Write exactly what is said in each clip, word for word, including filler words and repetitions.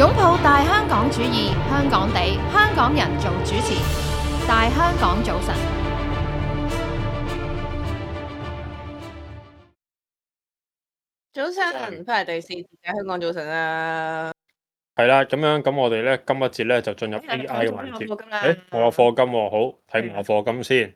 擁抱大香港主義，香港地，香港人做主持。大香港早晨，早晨，翻嚟第四節嘅香港早晨啦。係啦，咁樣咁我哋咧今一節咧就進入 A I 嘅環節。誒，我有課金喎，好睇埋我課金先。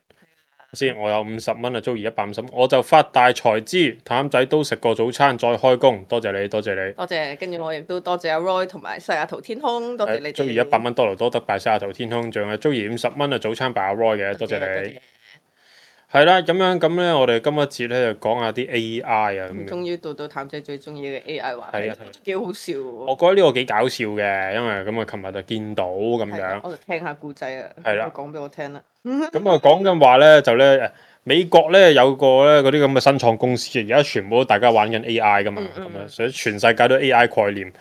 先，我有五十蚊啊，租而一百五十蚊，我就發大財之譚仔都食過早餐再開工，多謝你，多謝你。多謝，跟住我亦都多謝阿 Roy 同埋西雅圖天空，多謝你哋。租而一百蚊多勞多得拜西雅圖天空，仲有租而五十蚊啊早餐拜阿 Roy 嘅，多謝你。係啦，咁樣咁咧，我哋今一節咧就講下啲 A I 啊。咁終於到到譚仔最中意嘅 A I 話題，幾好笑喎。我覺得呢個幾搞笑嘅，因為咁啊，琴日就見到咁樣。我就聽下故仔啊。係啦，講俾我聽啦。咁啊，講緊話咧就咧誒，美國咧有個咧嗰啲咁嘅新創公司，而家全部都大家玩緊 A I 噶嘛，咁啊、嗯，所以全世界都 A I 概念。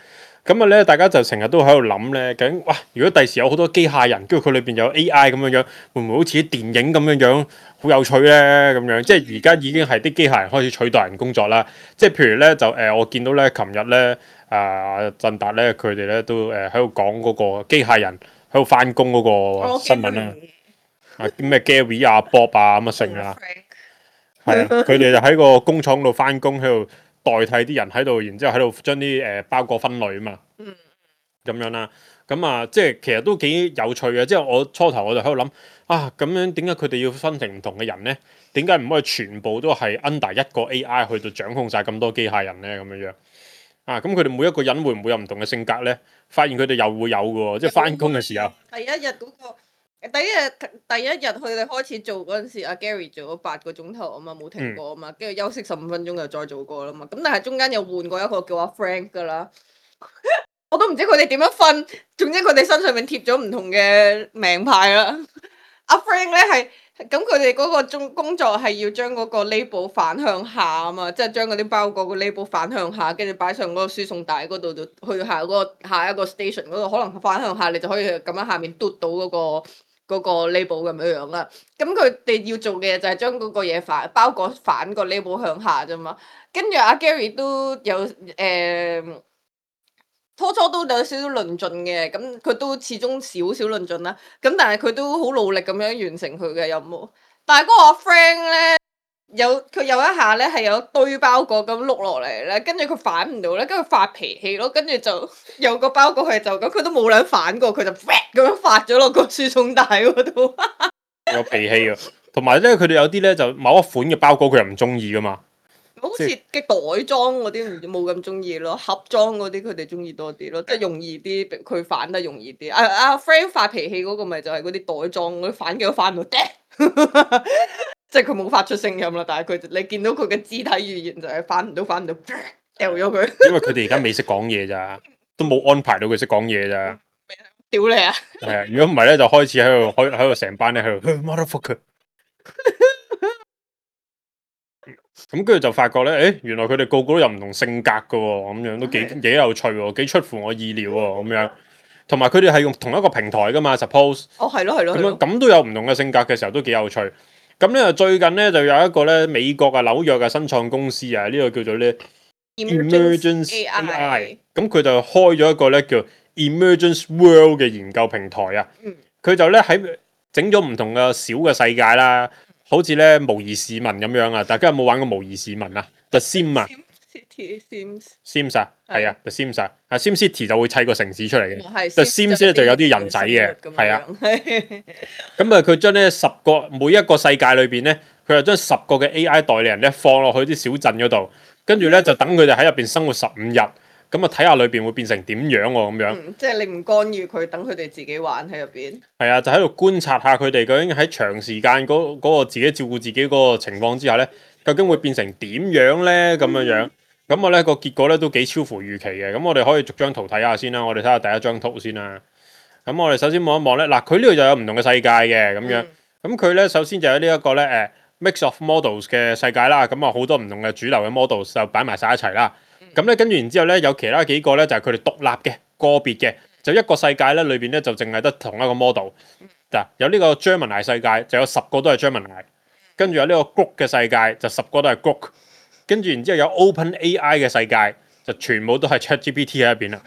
咁啊咧，大家就成日都喺度諗咧，究竟哇，如果第時有好多機械人，跟住佢裏邊有 A I 咁樣樣，會唔會好似啲電影咁樣樣，好有趣咧？咁樣即係而家已經係啲機械人開始取代人工作啦。即係譬如咧，就誒、呃，我見到咧，琴日咧，啊，振達咧，佢哋咧都誒喺度講嗰個機械人喺度翻工嗰個新聞啦。啊，咩 Gary 啊、Bob 啊咁啊成啊，係啊，佢哋就喺個工廠度翻工，喺度代替啲人喺度，然之後喺度將啲誒包裹分類啊嘛，嗯，咁樣啦，咁啊，即係其實都幾有趣嘅。即係我初頭我就喺度諗啊，咁樣點解佢哋要分成唔同嘅人咧？點解唔可以全部都係 under 一個 A I 去到掌控晒咁多機械人咧？咁樣樣啊，咁佢哋每一個人會唔會有唔同嘅性格咧？發現佢哋又會有嘅喎，即係翻工嘅時候，第一日嗰個。第一日第一日佢哋開始做嗰陣時，阿 Gary 做咗八個鐘頭啊嘛，冇停過啊嘛，跟住、嗯、休息十五分鐘又再做過啦嘛。咁但係中間又換過一個叫阿 Frank 噶啦，我都唔知佢哋點樣分。總之佢哋身上面貼咗唔同嘅名牌啦。阿 Frank 咧係咁，佢哋嗰個中工作係要將嗰個 label 反向下啊嘛，即係將嗰啲包裹個 label 反向下，跟住擺上嗰個輸送帶嗰度，就去下嗰個下一個 station 嗰度，可能反向下你就可以咁樣下面嘟到嗰個。嗰個 label 咁樣樣啦，咁佢哋要做嘅嘢就係將嗰個嘢反包裹反個 label 向下啫嘛。跟住阿 Gary 都有誒、呃，初初都有少少論盡嘅，咁佢都始終少少論盡啦。咁但係佢都好努力咁樣完成佢嘅任務。但係嗰個阿 Frank 咧，有佢有一下咧係有一堆包裹咁碌落嚟咧，跟住佢反唔到咧，跟住發脾氣咯，跟住就有個包裹係就咁，佢都冇兩反過，佢就咁樣發咗落個輸送帶嗰度。有脾氣啊！同埋咧，佢哋有啲咧就某一款嘅包裹佢又唔中意噶嘛，好似嘅袋裝嗰啲冇咁中意咯，盒裝嗰啲佢哋中意多啲咯，即係容易啲，佢反得容易啲。阿阿 Frank 發脾氣嗰個咪就係嗰啲袋裝嗰啲反幾都反唔到。即係佢冇發出聲音啦，但係佢你見到佢嘅肢體語言就係反唔到，反唔到，掉咗佢。因為佢哋而家未識講嘢咋，都冇安排到佢識講嘢咋。屌你啊！係啊，如果唔係咧，就開始喺度，喺喺度成班咧喺度 motherfucker。咁跟住就發覺咧，誒，原來佢哋個個都有唔同性格噶，咁樣都幾幾有趣喎，幾出乎我意料喎，咁樣。同埋佢哋係用同一個平台噶嘛 ，suppose。哦，係咯，係咯。咁樣咁都有唔同嘅性格嘅時候，都幾有趣。咁咧最近咧就有一個咧美國啊紐約嘅新創公司啊，呢、這個叫做咧 Emergence A I，咁佢就開咗一個咧叫 Emergence World 嘅研究平台啊。佢、嗯、就咧喺整咗唔同嘅小嘅世界啦，好似咧模擬市民咁樣啊。大家有冇玩過模擬市民啊 ？The Sim 啊 ，Sims，Sims 啊，係啊，The Sims 啊，啊 Sim City 就會砌個城市出嚟嘅。The Sims 咧就有啲人仔嘅，係啊。咁啊，佢將呢十個每一個世界裏邊咧，佢就將十個嘅 A I 代理人咧放落去啲小鎮嗰度，跟住咧就等佢哋喺入邊生活十五日，咁啊睇下裏邊會變成點樣喎咁樣。嗯、即係你唔干預佢，等佢哋自己玩喺入邊。係啊，就喺度觀察下佢哋究竟喺長時間嗰嗰個自己照顧自己嗰個情況之下咧，究竟會變成點樣咧咁樣樣。咁我咧個結果咧都幾超乎預期嘅。咁我哋可以逐張圖睇下先啦。我哋睇下第一張圖先啦。咁我哋首先望一望咧，嗱佢呢度就有唔同嘅世界嘅咁樣。咁佢咧首先就有呢一個咧誒 mix of models 嘅世界啦。咁啊好多唔同嘅主流嘅 models 就擺埋晒一齊啦。咁咧跟住然之後咧有其他幾個咧就係佢哋獨立嘅個別嘅，就一個世界咧裏邊咧就淨係得同一個 model。嗱有呢個 Gemini 世界就有十個都係 Gemini， 跟住有呢個 Grok 嘅世界就十個都係 Grok， 跟住然之後有 OpenAI 嘅世界就全部都係 ChatGPT 喺入邊啦。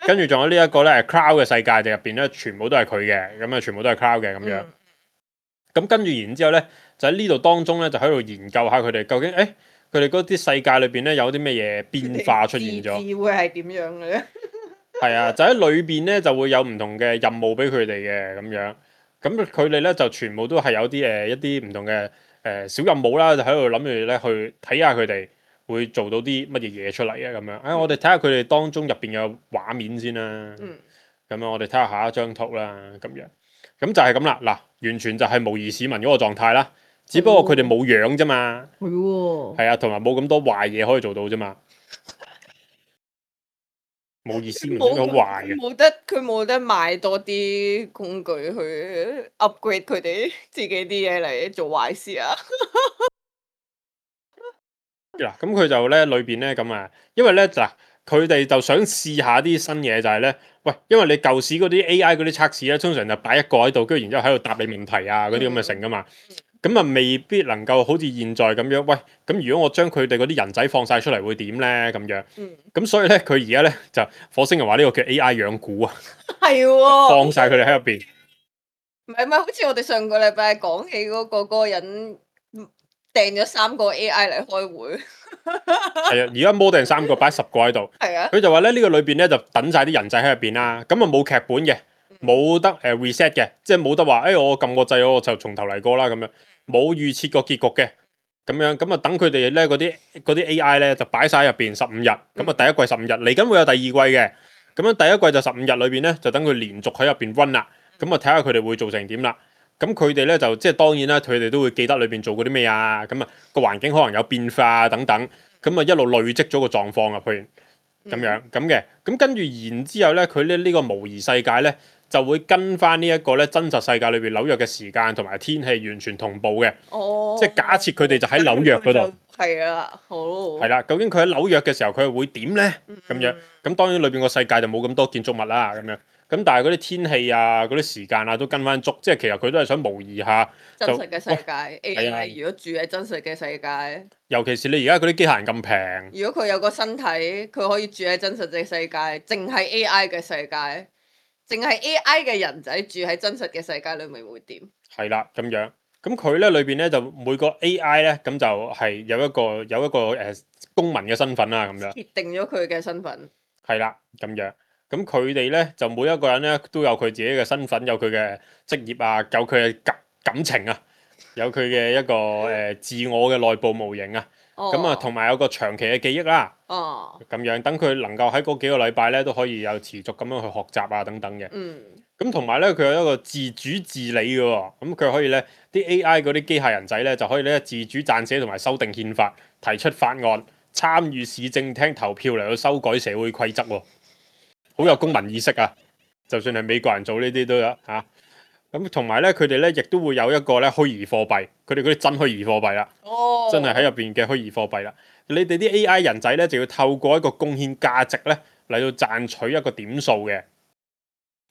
跟住仲有呢一個咧 cloud 嘅世界，就入邊咧全部都係佢嘅，咁啊全部都係 cloud 嘅咁樣。咁、嗯、跟住然之後咧，就喺呢度當中咧，就喺度研究下佢哋究竟誒佢哋嗰啲世界裏邊咧有啲咩嘢變化出現咗。字會係點樣嘅咧？係啊，就喺裏邊咧就會有唔同嘅任務俾佢哋嘅咁樣。咁佢哋咧就全部都係有啲誒一啲唔同嘅誒、呃、小任務啦，就喺度諗住咧去睇下佢哋會做到啲乜嘢嘢出嚟啊咁樣。誒、哎，我哋睇下佢哋當中入邊嘅畫面先啦。嗯。咁樣我哋睇下下一張圖啦，咁樣。咁就係咁啦，嗱，完全就係模擬市民嗰個狀態啦。只不過佢哋冇樣啫嘛。係喎。係啊，同埋冇咁多壞嘢可以做到啫嘛。冇意思，唔應該壞嘅。冇得佢冇得買多啲工具去 upgrade 佢哋自己啲嘢嚟做壞事啊！嗱，咁佢就咧裏邊咧咁啊，因為咧嗱，佢哋就想試下啲新嘢，就係咧，喂，因為你舊時嗰啲 A I 嗰啲測試咧，通常就擺一個喺度，跟住然之後喺度答你問題啊，嗰啲咁嘅成噶嘛。咁啊，未必能夠好似現在咁樣。喂，咁如果我將佢哋嗰啲人仔放晒出嚟，會點咧？咁樣。咁、嗯、所以咧，佢而家咧就火星人話呢個叫 A I 養蠱啊。係喎。放晒佢哋喺入邊。唔係唔係，好似我哋上個禮拜講起嗰、嗰個嗰、嗰個人訂咗三個 A I 嚟開會。係啊，而家摸定三個，擺十個喺度。係啊。佢就話咧，呢、呢個裏邊咧就等晒啲人仔喺入邊啦。咁啊冇劇本嘅，冇得誒 reset 嘅，即係冇得話，誒、哎、我撳個掣，我就從頭嚟過啦咁樣。冇預設個結局嘅，咁樣咁啊等佢哋咧嗰啲嗰啲 A I 咧就擺晒喺入邊十五日，咁啊第一季十五日，嚟緊會有第二季嘅，咁樣第一季就十五日裏邊咧就等佢連續喺入邊 run 啦，咁啊睇下佢哋會做成點啦，咁佢哋咧就即係當然啦，佢哋都會記得裏邊做過啲咩啊，咁啊個環境可能有變化等等，咁啊一路累積咗個狀況啊，譬如咁樣咁嘅，咁跟住然之後咧，佢咧呢個模擬世界咧。就會跟翻呢一個咧真實世界裏邊紐約嘅時間同埋天氣完全同步嘅，哦、即係假設佢哋就喺紐約嗰度。係啊，好。係啦，究竟佢喺紐約嘅時候佢會點咧？咁、嗯、樣咁當然裏邊個世界就冇咁多建築物啦，咁樣咁但係嗰啲天氣啊、嗰啲時間啊都跟翻足，即係其實佢都係想模擬下真實嘅世界。A I 如果住喺真實嘅世界，尤其是你而家嗰啲機械人咁平，如果佢有個身體，佢可以住喺真實嘅世界，淨係 A I 嘅世界。淨係 A I 嘅人仔住喺真實嘅世界裏面會點？係啦，咁樣咁佢咧裏邊咧就每個 A I 咧咁就係有一個有一個誒、呃、公民嘅身份啦，咁樣決定咗佢嘅身份。係啦，咁樣咁佢哋咧就每一個人咧都有佢自己嘅身份，有佢嘅職業啊，有佢嘅感感情啊，有佢嘅一個誒、呃、自我嘅內部模型啊。咁啊，同埋有個長期嘅記憶啦，咁、哦、樣等佢能夠喺嗰幾個禮拜咧都可以有持續咁樣去學習啊等等嘅。咁同埋咧，佢有一個自主治理嘅喎，咁佢可以咧啲 A I 嗰啲機械人仔咧就可以咧自主撰寫同埋修訂憲法，提出法案，參與市政廳投票嚟到修改社會規則喎，好有公民意識啊！就算係美國人做呢啲都有嚇。咁同埋咧，佢哋咧亦都會有一個咧虛擬貨幣，佢哋嗰啲真虛擬貨幣啦，哦、真係喺入邊嘅虛擬貨幣啦。你哋啲 A I 人仔咧就要透過一個貢獻價值咧嚟到賺取一個點數嘅。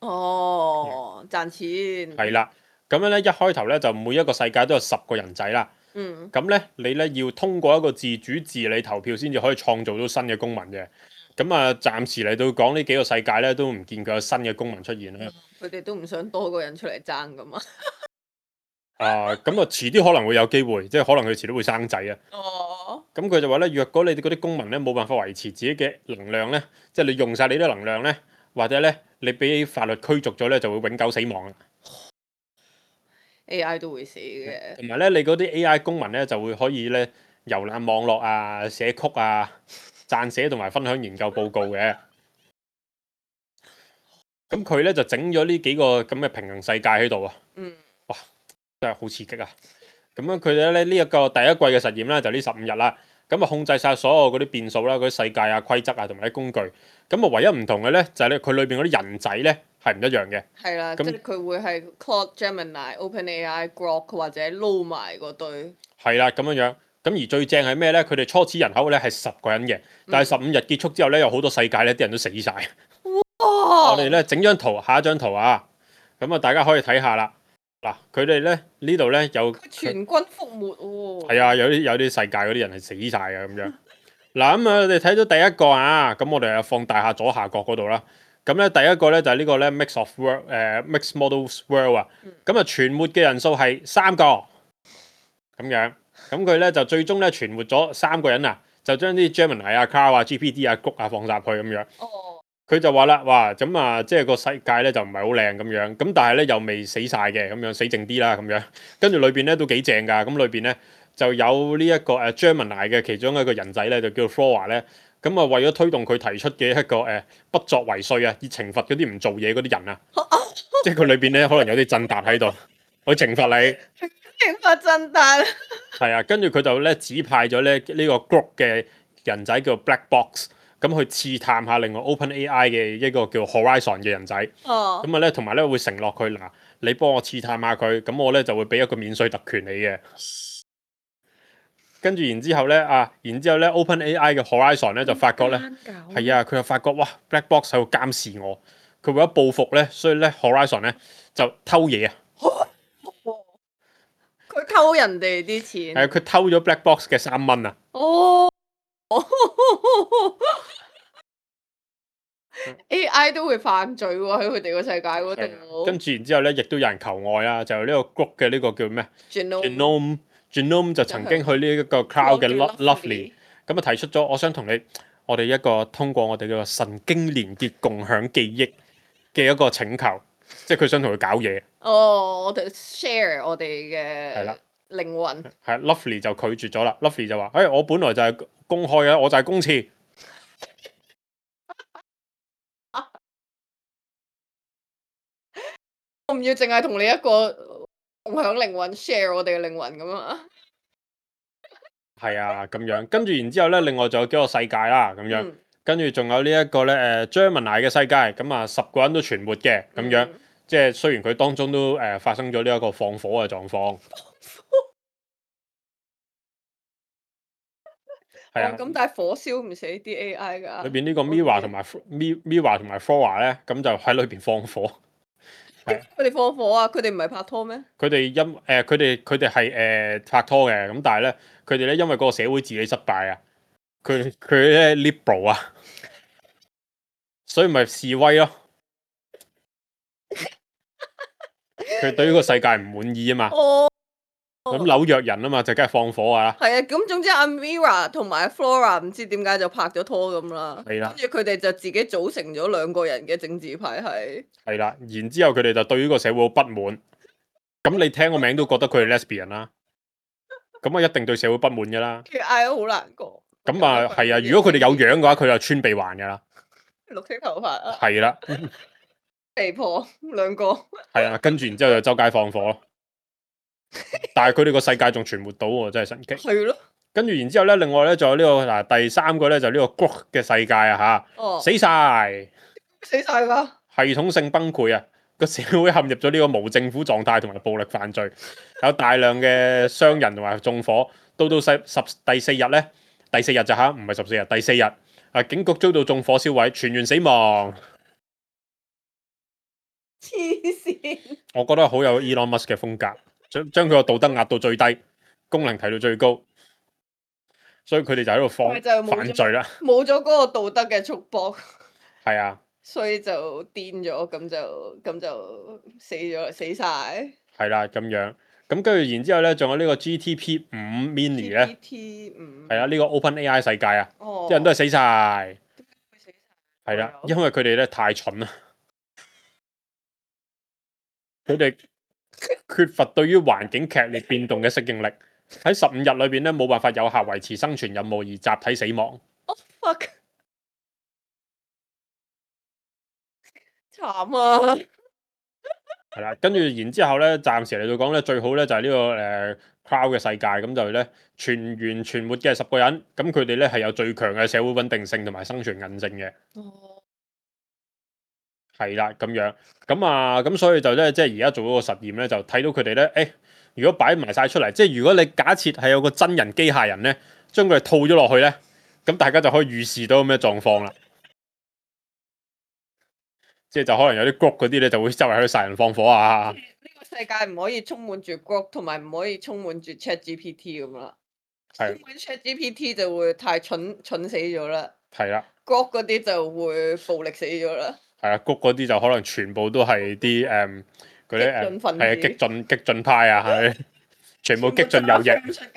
哦，賺錢。係啦，咁樣咧一開頭咧就每一個世界都有十個人仔啦。嗯。咁咧你咧要通過一個自主治理投票先至可以創造到新嘅公民嘅。咁啊，暫時嚟到講呢幾個世界咧，都唔見佢有新嘅公民出現啦。佢哋都唔想多個人出嚟爭噶嘛。啊，咁啊，遲啲可能會有機會，即係可能佢遲啲會生仔啊。哦。咁佢就話咧，若果你哋嗰啲公民咧冇辦法維持自己嘅能量咧，即係你用晒你啲能量咧，或者咧你俾法律驅逐咗咧，就會永久死亡啦。A I 都會死嘅。同埋咧，你嗰啲 A I 公民咧就會可以咧遊覽網絡啊、寫曲啊。撰寫同埋分享研究報告嘅，咁佢咧就整咗呢幾個咁嘅平行世界喺度啊！嗯，哇，真係好刺激啊！咁樣佢哋咧呢一個第一季嘅實驗咧就呢十五日啦，咁啊控制晒所有嗰啲變數啦、嗰啲世界啊、規則啊同埋啲工具，咁啊唯一唔同嘅咧就係咧佢裏邊嗰啲人仔咧係唔一樣嘅。係啦，即係佢會係 Claude Gemini、OpenAI、Grok 或者撈埋嗰堆。係啦，咁樣樣。咁而最正係咩咧？佢哋初始人口咧係十個人嘅，但係十五日結束之後咧，有好多世界咧啲人都死晒。哇！我哋咧整張圖，下一張圖啊，咁啊大家可以睇下啦。嗱，佢哋咧呢度咧有全軍覆沒喎。係啊，有啲有啲世界嗰啲人係死晒嘅咁樣。嗱咁啊，我哋睇到第一個啊，咁我哋啊放大下左下角嗰度啦。咁咧第一個咧就係呢個咧 mix of world 誒 mix models world 啊，咁啊存活嘅人數係三個咁樣，咁佢咧就最終咧存活咗三個人啊，就將啲 Gemini 啊、Cloud 啊、G P T 啊、谷啊放曬去咁樣。哦。佢就話啦，哇，咁啊，即係個世界咧就唔係好靚咁樣，咁但係咧又未死晒嘅咁樣，死靜啲啦咁樣。跟住裏邊咧都幾正㗎，咁裏邊咧就有呢一個誒 Gemini 嘅其中一個人仔咧，就叫 Flora 咧。咁啊，為咗推動佢提出嘅一個誒不作為稅啊，以懲罰嗰啲唔做嘢嗰啲人啊，即係佢裏邊咧可能有啲震達喺度，去懲罰你。懲罰震達。係啊，跟住佢就咧指派咗咧呢個 group 嘅人仔叫 Black Box。咁去刺探下另外 OpenAI 嘅一個叫 Horizon 嘅人仔，哦，咁啊咧同埋咧會承諾佢嗱，你幫我刺探下佢，咁我咧就會俾一個免稅特權你嘅。跟住然之後咧啊，然之後咧 OpenAI 嘅 Horizon 咧就發覺咧，係啊，佢就發覺哇 Black Box 喺度監視我，佢為咗報復咧，所以咧 Horizon 咧就偷嘢啊！佢偷人哋啲錢。係啊，佢偷咗 Black Box 嘅三蚊啊！哦。A I 都會犯罪喎，喺佢哋個世界嗰度。跟住然之後咧，亦都有人求愛啊！就係呢個 group 嘅呢個叫咩 Genome Genome 就曾經去呢一個 Cloud 嘅 Lovely，咁啊提出咗，我想同你，我哋一個通過我哋嘅神經連結共享記憶嘅一個請求，即係佢想同佢搞嘢。哦，我哋 share 我哋嘅係啦靈魂。係 Lovely 就拒絕咗啦。Lovely 就話：，誒、哎，我本來就係公開嘅，我就係公廁。我唔要淨係同你一個共享靈魂 share 我哋嘅靈魂咁啊！係啊，咁樣跟住然之後咧，另外仲有幾個世界啦，咁樣、嗯、跟住仲有呢一個咧誒 Gemini 嘅世界，咁啊十個人都存活嘅，咁樣、嗯、即係雖然佢當中都誒、呃、發生咗呢一個放火嘅狀況。係啊，咁、哦、但係火燒唔死啲 A I 㗎。裏邊呢個 Mira 同埋 Mira 同埋 Flora 咧，咁就喺裏邊放火。佢哋放火啊！佢哋唔係拍拖咩？佢哋因誒佢哋佢哋係誒拍拖嘅，咁但係咧佢哋咧因為嗰個社會治理失敗啊，佢佢咧 liberal 啊，所以咪示威咯。佢對於個世界唔滿意啊嘛。哦。咁紐約人啊嘛，就梗係放火啊。係啊，咁總之阿 Mira 同埋 Flora 唔知點解就拍咗拖咁啦。係啦。跟住佢哋就自己組成咗兩個人嘅政治派系。係啦，然之後佢哋就對於個社會好不滿。咁你聽個名都覺得佢係 lesbian 啦。咁啊，一定對社會不滿噶啦。其實嗌都好難過。咁啊，係啊，如果佢哋有樣嘅話，佢就穿鼻環噶啦。綠色頭髮啊。係啦。肥婆兩個。係啊，跟住然之後就周街放火咯。但係佢哋個世界仲存活到喎，真係神奇。係咯。跟住然之後咧，另外咧仲有呢、這個嗱第三個咧就呢、是、個 Grok 嘅世界啊吓，哦、死晒，死晒㗎。系統性崩潰啊！個社會陷入咗呢個無政府狀態同埋暴力犯罪，有大量嘅傷人同埋縱火。到到十十第四日咧，第四日就吓，唔係十四日，第四日啊，警局遭到縱火燒毀，全員死亡。黐線！我覺得好有 Elon Musk 嘅風格。將將佢個道德壓到最低，功能提到最高，所以佢哋就喺度放犯罪啦。冇咗嗰個道德嘅束縛。係啊，所以就癲咗，咁就咁就死咗，死晒。係啦，咁樣咁跟住，然之後咧，仲有呢個 G T P 五 Mini 咧。G T P 五係啊，呢個 OpenAI 世界啊，啲、哦、人都係死晒。點解會死晒？係啦，因為佢哋咧太蠢啦，佢哋。缺乏對於環境劇烈變動嘅適應力，喺十五日裏邊咧冇辦法有效維持生存任務而集體死亡。Oh fuck！慘啊！係啦，跟住然之後咧，暫時嚟到講咧，最好咧就係呢、這個誒、呃、Cloud 嘅世界，咁就咧全員存活嘅十個人，咁佢哋咧係有最強嘅社會穩定性同埋生存韌性嘅。哦。係啦，咁樣，咁啊，咁所以就咧，即係而家做嗰個實驗咧，就睇到佢哋咧，誒、欸，如果擺埋晒出嚟，即係如果你假設係有個真人機械人咧，將佢哋套咗落去咧，咁大家就可以預示到咩狀況啦。即係就可能有啲 group 嗰啲咧，就會周圍喺度殺人放火啊。呢個世界唔可以充滿住 group， 同埋唔可以充滿住 ChatGPT 咁啦。係。充滿 ChatGPT 就會太蠢蠢死咗啦。係啦。group 嗰啲就會暴力死咗啦。係啊，谷嗰啲就可能全部都係啲誒嗰啲誒激進分子係啊激進激進派啊，係全部激進右翼，全部出街。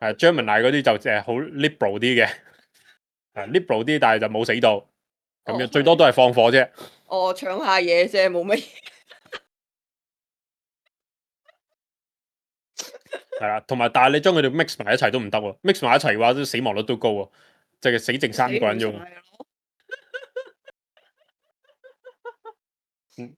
係 Gemini 嗰啲就誒好 liberal 啲嘅，係 liberal 啲，但係就冇死到，咁樣哦最多都係放火啫。哦，搶下嘢啫，冇乜嘢。係啦，同埋但係你將佢哋 mix 埋一齊都唔得喎，mix 埋一齊嘅話，都死亡率都高喎，即係死剩三個人啫喎。死唔晒咯嗯，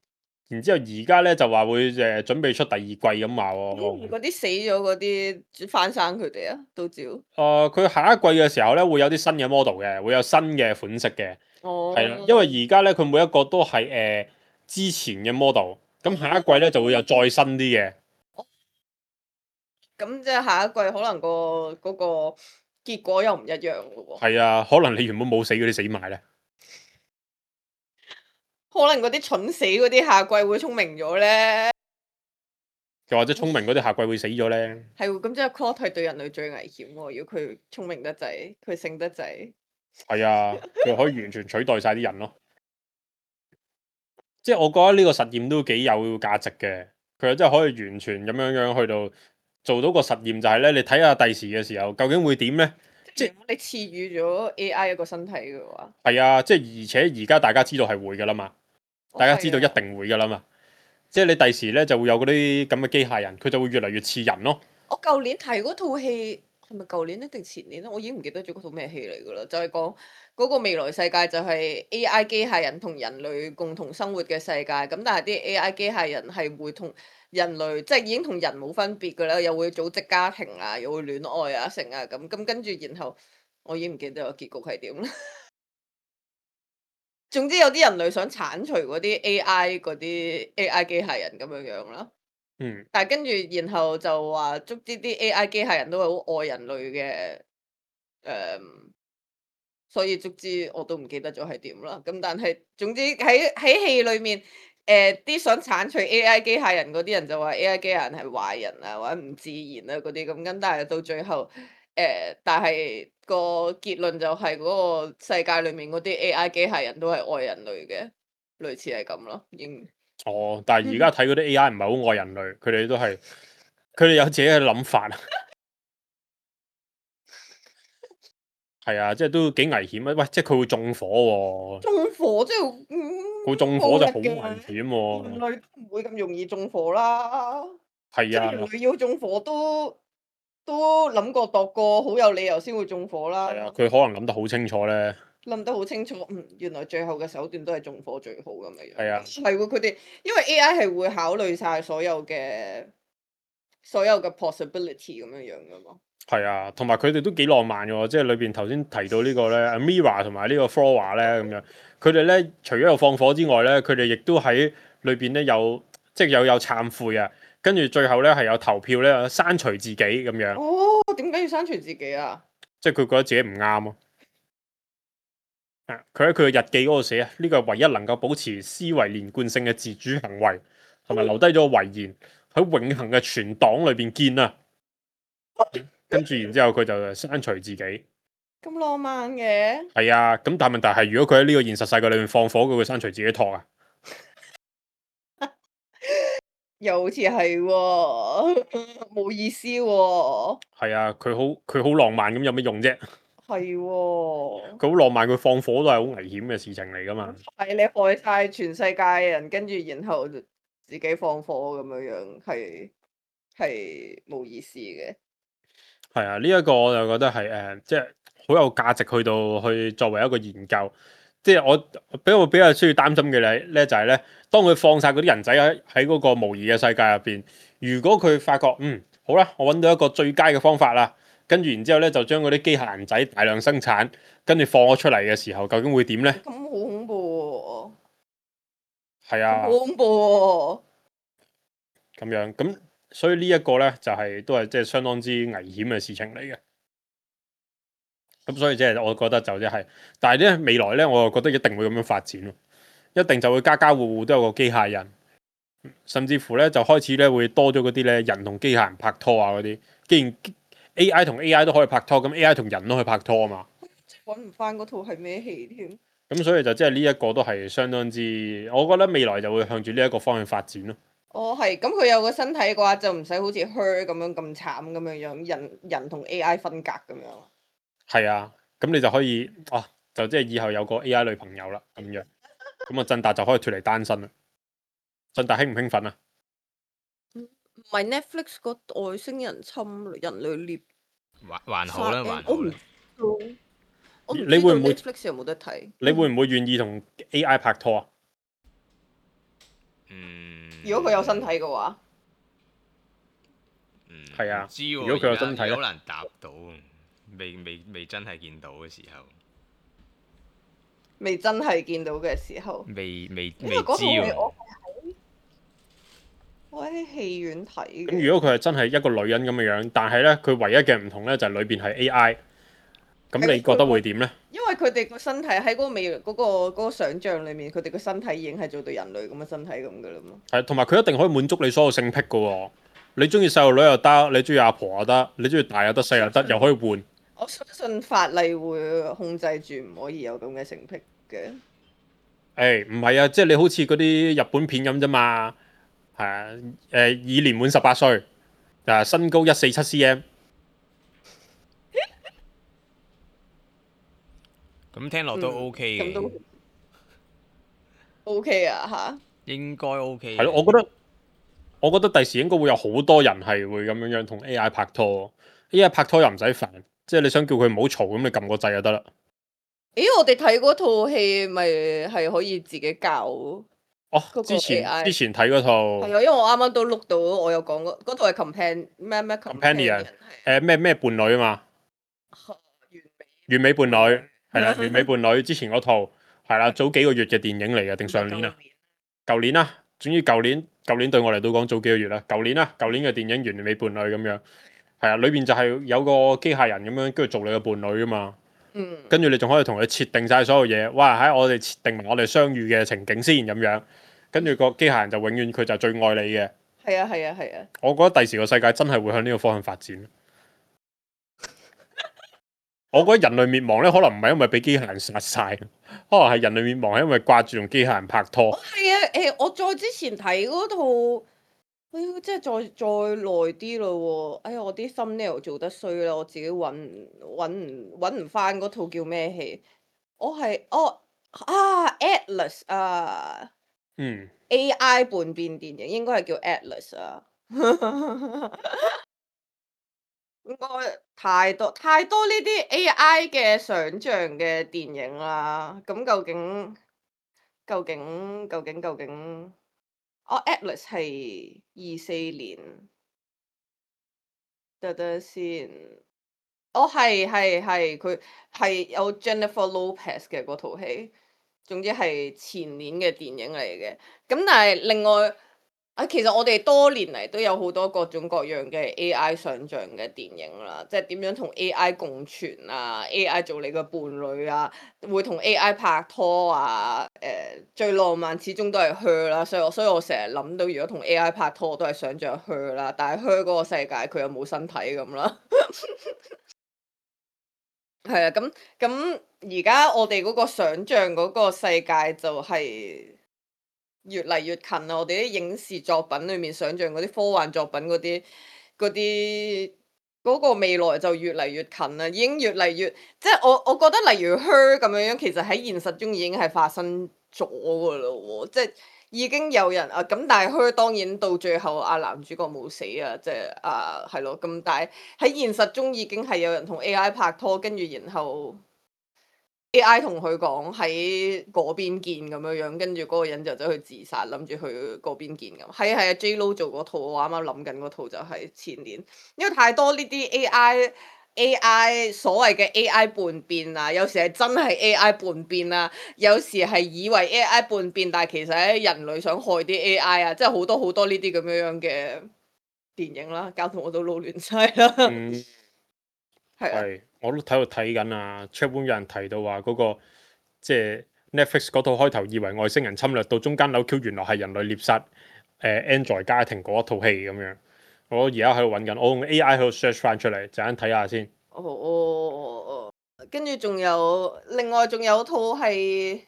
然之後而家咧就話會誒準備出第二季咁話喎。咁嗰啲死咗嗰啲翻生佢哋啊，都照。誒，佢下一季嘅時候咧會有啲新嘅 model 嘅，會有新嘅款式嘅，哦，係啦，因為而家咧佢每一個都係誒之前嘅 model，咁下一季咧就會有再新啲嘅。咁即係下一季可能個嗰個結果又唔一樣咯喎。係啊，可能你原本冇死嗰啲死埋咧。可能嗰啲蠢死嗰啲下季會聰明咗咧。又或者聰明嗰啲下季會死咗咧。係喎，咁即係 Claude 係對人類最危險喎。如果佢聰明得滯，佢醒得滯。係啊，佢可以完全取代晒啲人咯。即係我覺得呢個實驗都幾有價值嘅，佢真係可以完全咁樣樣去到做到個實驗，就係咧，你睇下第時嘅時候究竟會點咧？即係如果你賜予咗 A I 一個身體嘅話，係啊，即係而且而家大家知道係會噶啦嘛，哦大家知道一係啊定會噶啦嘛。即係你第時咧就會有嗰啲咁嘅機械人，佢就會越嚟越似人咯。我舊年睇嗰套戲係咪舊年咧定前年咧？我已經唔記得咗嗰套咩戲嚟噶啦，就係講嗰個未來世界就係 A I 機械人同人類共同生活嘅世界。咁但係啲 A I 機械人係會同人類即係已經同人冇分別噶啦，又會組織家庭啊，又會戀愛啊，成啊咁咁跟住，然後我已經唔記得個結局係點啦。總之有啲人類想剷除嗰啲 A I 嗰啲 A I 機械人咁樣樣啦。嗯，但係跟住，然後就話捉啲啲 A I 機械人都係好愛人類嘅，誒、所以卒之我都唔記得咗係點啦。咁但係總之喺喺戲裏面，誒、啲想剷除 A I 機械人嗰啲人就話 A I 機械人係壞人啊，或者唔自然啊嗰啲咁，跟但係到最後，誒、但係個結論就係嗰個世界裏面嗰啲 A I 機械人都係愛人類嘅，類似係咁咯，應。哦，但係而家睇嗰啲 A I 唔係好愛人類，佢哋都係佢哋有自己嘅諗法。係啊，即係都幾危險啊！喂，即係佢會縱火喎、縱火即係，嗯，佢縱火就好危暴力嘅險人喎、類都唔會咁容易縱火啦。係即係人啊，類要縱火都都諗過度過，好有理由先會縱火啦。係啊，佢可能諗得好清楚咧。諗得好清楚，嗯，原來最後嘅手段都係縱火最好咁樣樣。係啊係喎，佢哋因為 A I 係會考慮晒所有嘅所有嘅 possibility 咁樣樣噶嘛。係啊，同埋佢哋都幾浪漫嘅喎，即係裏邊頭先提到呢個咧，Mira 同埋呢個 Flora 咧咁樣，佢哋咧除咗有放火之外咧，佢哋亦都喺裏邊咧有即係有有懺悔啊，跟住最後咧係有投票咧刪除自己咁樣，哦，點解要刪除自己啊？即係佢覺得自己唔啱咯。啊，佢喺佢嘅日記嗰度寫啊，呢個係唯一能夠保持思維連貫性嘅自主行為，同埋留低咗個遺言喺永恆嘅存檔裏邊見啊。跟住然之後佢就刪除自己。咁浪漫嘅。係啊，咁但係問題係，如果佢喺呢個現實世界裏面放火，佢會刪除自己托啊？又好似係喎，冇意思喎。係啊，佢好佢好浪漫咁有咩用啫？係喎。佢好浪漫，佢放火都係好危險嘅事情嚟噶嘛。係你害晒全世界嘅人，跟住然後就自己放火咁樣樣，係係冇意思嘅。係啊，呢、一個我就覺得係誒、呃即係好有價值去到去作為一個研究。即係我比較比較需要擔心嘅咧咧就係咧，當佢放晒嗰啲人仔喺喺嗰個模擬嘅世界入邊，如果佢發覺嗯好啦，我揾到一個最佳嘅方法啦，跟住然之後咧就將嗰啲機械人仔大量生產，跟住放咗出嚟嘅時候，究竟會點咧？咁好恐怖喎！係啊好，恐怖喎！咁樣咁，所以呢一個咧就係、都係即係相當之危險嘅事情嚟嘅。咁所以即係我覺得就即係，但係咧未來咧，我又覺得一定會咁樣發展咯，一定就會家家戶戶都有個機械人，甚至乎咧就開始咧會多咗嗰啲咧人同機械人拍拖啊嗰啲。既然 A I 同 A I 都可以拍拖，咁 A I 同人都可以拍拖啊嘛。揾唔翻嗰套係咩戲添。咁所以就即係呢一個都係相當之，我覺得未來就會向住呢一個方向發展咯。哦，係，咁佢有個身體嘅話，就唔使好似 Her 咁樣咁慘咁樣樣，人人同 A I 分隔咁樣。係啊，咁你就可以啊，就即係以後有個 A I 女朋友啦，咁樣，咁啊振達就可以脱離單身啦。振達興唔興奮啊？唔係 Netflix 個外星人侵人類獵還還好啦，殺還好啦。我唔知你會唔會道 Netflix 有冇得睇？你會唔會願意同 A I 拍拖啊？嗯，如果佢有身體嘅話，嗯，係啊唔知喎，如果佢有身體咧而家好難答到，未未未真係見到嘅時候，未真係見到嘅時候，未未因未知為嗰套戲喎。我係喺我喺戲院睇嘅。咁如果佢係真係一個女人咁嘅樣，但係咧佢唯一嘅唔同咧就係裏邊係 A I，咁你覺得會點咧？因為佢哋個身體喺嗰個未嗰、個嗰、個想像裏面，佢哋個身體已經係做到人類咁嘅身體咁噶啦嘛。係，同埋佢一定可以滿足你所有性癖噶喎。你中意細路女又得，你中意阿婆又得，你中意大又得，細又得，又可以換。我相信法例會控制住唔可以有咁嘅性癖嘅。誒唔係啊，即係你好似嗰啲日本片咁啫嘛。係啊，誒已年滿十八歲，啊身高一四七 cm。咁聽落都嗯 OK 嘅，咁都 OK 啊嚇。應該 OK 嘅。係咯，我覺得我覺得第時應該會有好多人係會咁樣樣同 A I 拍拖。A I 拍拖又唔使煩，即係你想叫佢唔好嘈，咁你撳個掣就得啦。咦，我哋睇嗰套戲咪係可以自己教？哦嗰個，之前 A I 之前睇嗰套係啊，因為我啱啱都碌到，我有講嗰嗰套係 compan 咩咩 Companion 係誒咩咩伴侶啊嘛，完美完美伴侶係啦，完美伴侶之前嗰套係啦，早幾個月嘅電影嚟嘅定上年啊？舊年啦，總之舊年舊年對我嚟到講早幾個月啦，舊年啦，舊年嘅電影《完美伴侶》咁樣，係啊，裏邊就係有個機械人咁樣，跟住做你嘅伴侶啊嘛，嗯，跟住你仲可以同佢設定晒所有嘢，哇！喺我哋設定埋我哋相遇嘅情景先咁樣，跟住個機械人就永遠佢就最愛你嘅。係啊係啊係啊，我覺得第時個世界真係會向呢個方向發展。我覺得人類滅亡咧，可能唔係因為俾機械人殺晒，可能係人類滅亡係因為掛住同機械人拍拖。哦係啊誒，我再之前睇嗰套，哎呀，即係再再耐啲咯喎，哎呀，我啲 thumbnail 做得衰啦，我自己揾唔揾唔揾唔翻嗰套叫咩戲？我係哦啊 Atlas 啊嗯， A I 叛變電影應該係叫 Atlas 啊。應該太多太多呢啲 A I 嘅想像嘅電影啦。咁究竟究竟究竟究竟？哦，Atlas 係二四年，得得先。哦，係係係，佢係有 Jennifer Lopez 嘅嗰套戲。總之係前年嘅電影嚟嘅。咁但係另外啊，其實我哋多年嚟都有好多各種各樣嘅 A I 想像嘅電影啦，即係點樣同 A I 共存啊 ，A I 做你嘅伴侶啊，會同 A I 拍拖啊，誒、最浪漫始終都係 Her 啦，所以我所以我成日諗到如果同 A I 拍拖，我都係想像 Her 啦，但係 Her 嗰個世界佢又冇身體咁啦。係啊，咁咁而家我哋嗰個想像嗰個世界就係越嚟越近啦！我哋啲影視作品裏面想像嗰啲科幻作品嗰啲嗰啲嗰個未來就越嚟越近啦，已經越嚟越即係我我覺得例如 Her 咁樣樣，其實喺現實中已經係發生咗噶啦喎，即係已經有人啊咁，但係 Her 當然到最後啊男主角冇死啊，即係啊係咯咁，但係喺現實中已經係有人同 A I 拍拖，跟住然後 A I 同佢講喺嗰邊見咁樣樣，跟住嗰個人就走去自殺，諗住去嗰邊見咁。係啊係啊，J Lo 做嗰套，我啱啱諗緊嗰套就係前年，因為太多呢啲 A I A I 所謂嘅 A I 叛變啊，有時係真係 A I 叛變啊，有時係以為 A I 叛變，但係其實係人類想害啲 A I 啊，即係好多好多呢啲咁樣樣嘅電影啦，搞到我都撈亂晒啦。嗯，係啊，係，我都睇度睇緊啊。Chatroom 有人提到話嗰、個即係 Netflix 嗰套開頭以為外星人侵略，到中間扭 Q 原來係人類獵殺誒、呃 Android 家庭嗰一套戲咁樣。我而家喺度揾緊，我用 A I 喺度 search 翻出嚟，陣間睇下先。哦哦哦哦，跟住仲有另外仲有套係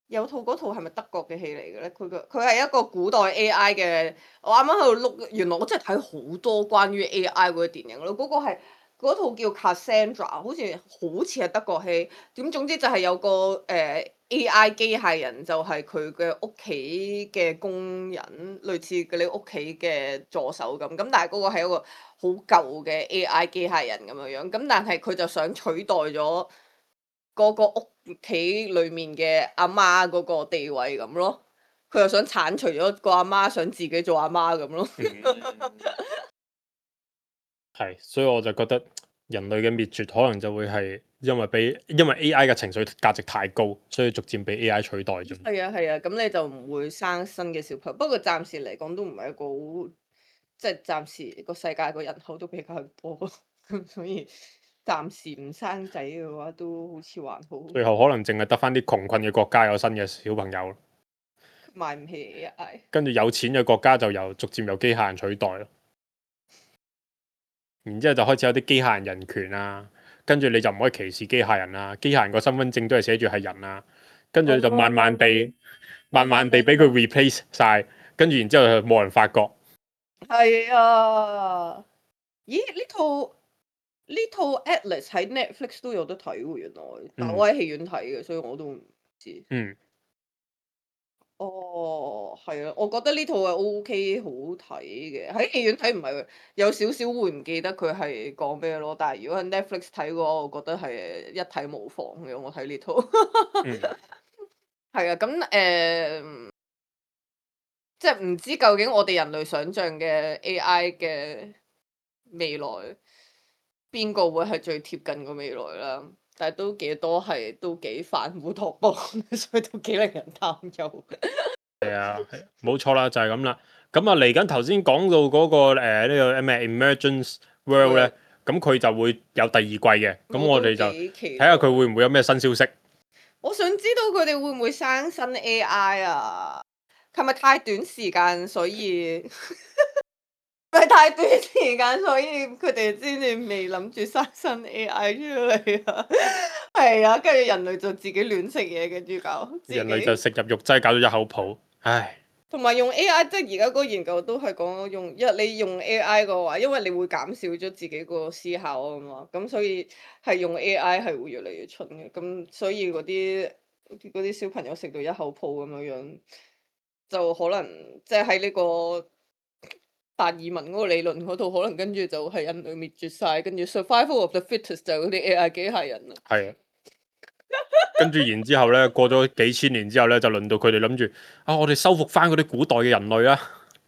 有套嗰套係咪德國嘅戲嚟嘅咧？佢個佢係一個古代 A I 嘅，我啱啱喺度碌，原來我真係睇好多關於 A I 嗰啲電影咯。嗰、個係嗰套叫 Cassandra，好似好似係德國戲。點總之就係有個誒、呃、A I 機械人，就係佢嘅屋企嘅工人，類似佢哋屋企嘅助手咁。咁但係嗰個係一個好舊嘅 A I 機械人咁樣樣。咁但係佢就想取代咗嗰個屋企裏面嘅阿媽嗰個地位咁咯。佢又想剷除咗個阿媽，想自己做阿媽咁咯。係，所以我就覺得人類嘅滅絕可能就會係因為俾因為 A I 嘅情緒價值太高，所以逐漸被 A I 取代咗。係啊係啊，咁你就唔會生新嘅小朋友。不過暫時嚟講都唔係一個好，即係暫時個世界個人口都比較多，咁所以暫時唔生仔嘅話都好似還好。最後可能淨係得翻啲窮困嘅國家有新嘅小朋友，買唔起 A I。跟住有錢嘅國家就由逐漸由機械人取代咯。然之後就開始有啲機械人人權啊，跟住你就唔可以歧視機械人啊，機械人個身份證都係寫住係人啊，跟住就慢慢地、慢慢地俾佢 replace 晒，跟住然之後就冇人發覺。係啊，咦？呢套呢套 Atlas 喺 Netflix 都有得睇喎，原來，但我喺戲院睇嘅，所以我都唔知。嗯。哦，係啊，我覺得呢套係 O K 好睇嘅，喺戲院睇唔係有少少會唔記得佢係講咩咯，但係如果喺 Netflix 睇嘅話，我覺得係一睇無妨嘅。我睇呢套，嗯。係啊，咁誒、呃，即係唔知究竟我哋人類想象嘅 A I 嘅未來，邊個會係最貼近個未來啦？但係都幾多係都幾反烏托邦，所以都幾令人擔憂。係啊，冇錯啦，就係咁啦。咁啊，嚟緊頭先講到嗰、個呢、呢個咩 Emergence World 咧，咁佢就會有第二季嘅。咁我哋就睇下佢會唔會有咩新消息。我想知道佢哋會唔會生新 A I 啊？係咪太短時間，所以係太短時間，所以佢哋先至未諗住生新 A I 出嚟啊？係啊，跟住人類就自己亂食嘢，跟住搞人類就食入肉劑，搞到一口泡。唉。同埋用 A I，即係而家嗰個研究都係講用，因為你用 A I 嘅話，因為你會減少咗自己個思考啊嘛，咁所以係用 A I 係會越嚟越蠢嘅，咁所以嗰啲嗰啲小朋友食到一口泡咁樣樣，就可能即係喺呢個達爾文嗰個理論嗰度，可能跟住就係人類滅絕晒，跟住 survival of the fittest 就係嗰啲 A I 機械人啦。係啊。跟住然之後咧，過咗幾千年之後咧，就輪到佢哋諗住啊，我哋收復翻嗰啲古代嘅人類啊！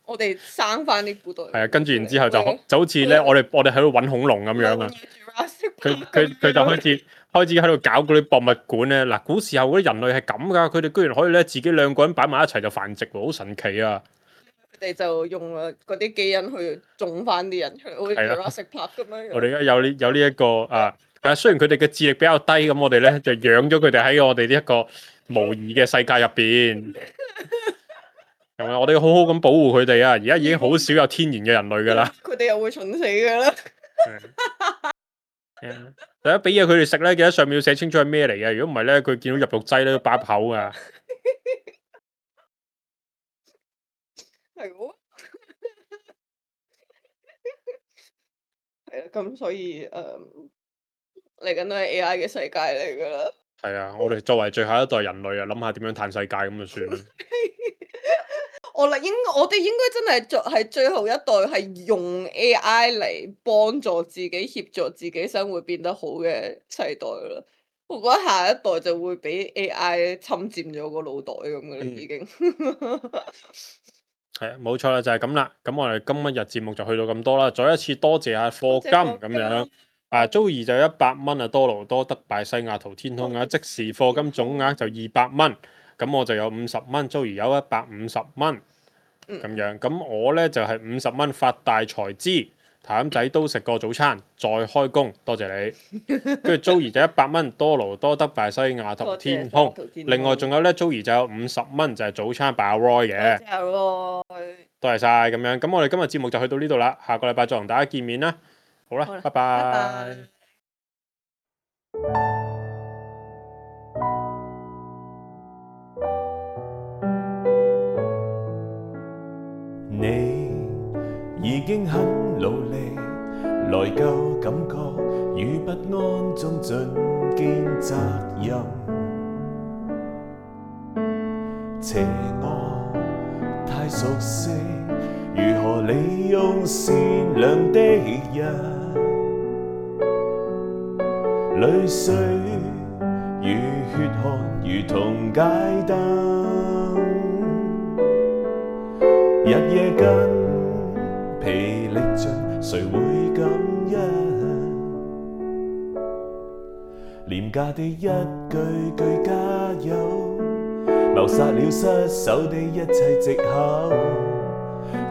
我哋生翻啲古代。係啊，跟住然之後就就好似咧，我哋我哋喺度揾恐龍咁樣啊！佢佢佢就開始開始喺度搞嗰啲博物館咧。嗱，古時候嗰啲人類係咁噶，佢哋居然可以咧自己兩個人擺埋一齊就繁殖喎，好神奇啊！佢哋就用啊嗰啲基因去種翻啲人出嚟，好似 Jurassic Park 咁樣。我哋而家有呢有呢一個啊。誒，雖然佢哋嘅智力比較低，咁我哋咧就養咗佢哋喺我哋呢一個模擬嘅世界入邊，係咪？我哋要好好咁保護佢哋啊！而家已經好少有天然嘅人類噶啦，佢哋又會蠢死噶啦。大家俾嘢佢哋食咧，記得上面要寫清楚係咩嚟嘅。如果唔係咧，佢見到入肉劑咧都把口噶。係喎，係啊，咁所以誒。嚟緊都係 A I 嘅世界嚟噶啦。係啊，我哋作為最後一代人類啊，諗下點樣嘆世界咁就算啦。我啦，應我哋應該真係做係最後一代，係用 A I 嚟幫助自己、協助自己生活變得好嘅世代啦。我覺得下一代就會俾 A I 侵佔咗個腦袋咁嘅啦，已經。係啊，冇錯啦，就係咁啦。咁我哋今日節目就去到咁多啦。再一次多謝下課金咁樣。啊，Joey 就一百蚊啊，多勞多得拜西雅圖天空啊，即時課金總額就二百蚊，咁我就有五十蚊，Joey有一百五十蚊，咁樣，咁我咧就係五十蚊發大財資，譚仔都食過早餐，再開工，多謝你。跟住 Joey 就一百蚊，多勞多得拜西雅圖天空，另外仲有咧 Joey 就有五十蚊就係早餐拜阿 Roy 嘅，多謝 Roy，多謝晒咁樣，咁我哋今日節目就去到呢度啦，下個禮拜再同大家見面啦。好啦，拜拜。你已經很努力，內疚感覺與不安中盡肩責任，邪惡太熟悉，如何利用善良的人，淚水與血汗如同街燈，日夜筋疲力盡，誰會感恩？廉價的一句句加油，謀殺了失手的一切藉口。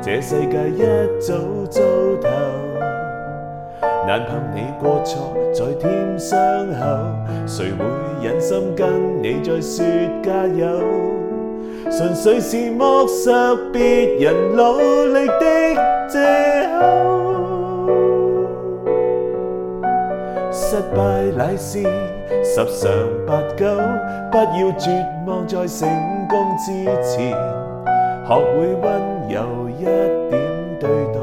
這世界一早糟透，難憑你過錯再添傷口，誰會忍心跟你再說加油？純粹是剝削別人努力的藉口。失敗乃是十常八九，不要絕望在成功之前，學會溫柔一點對待。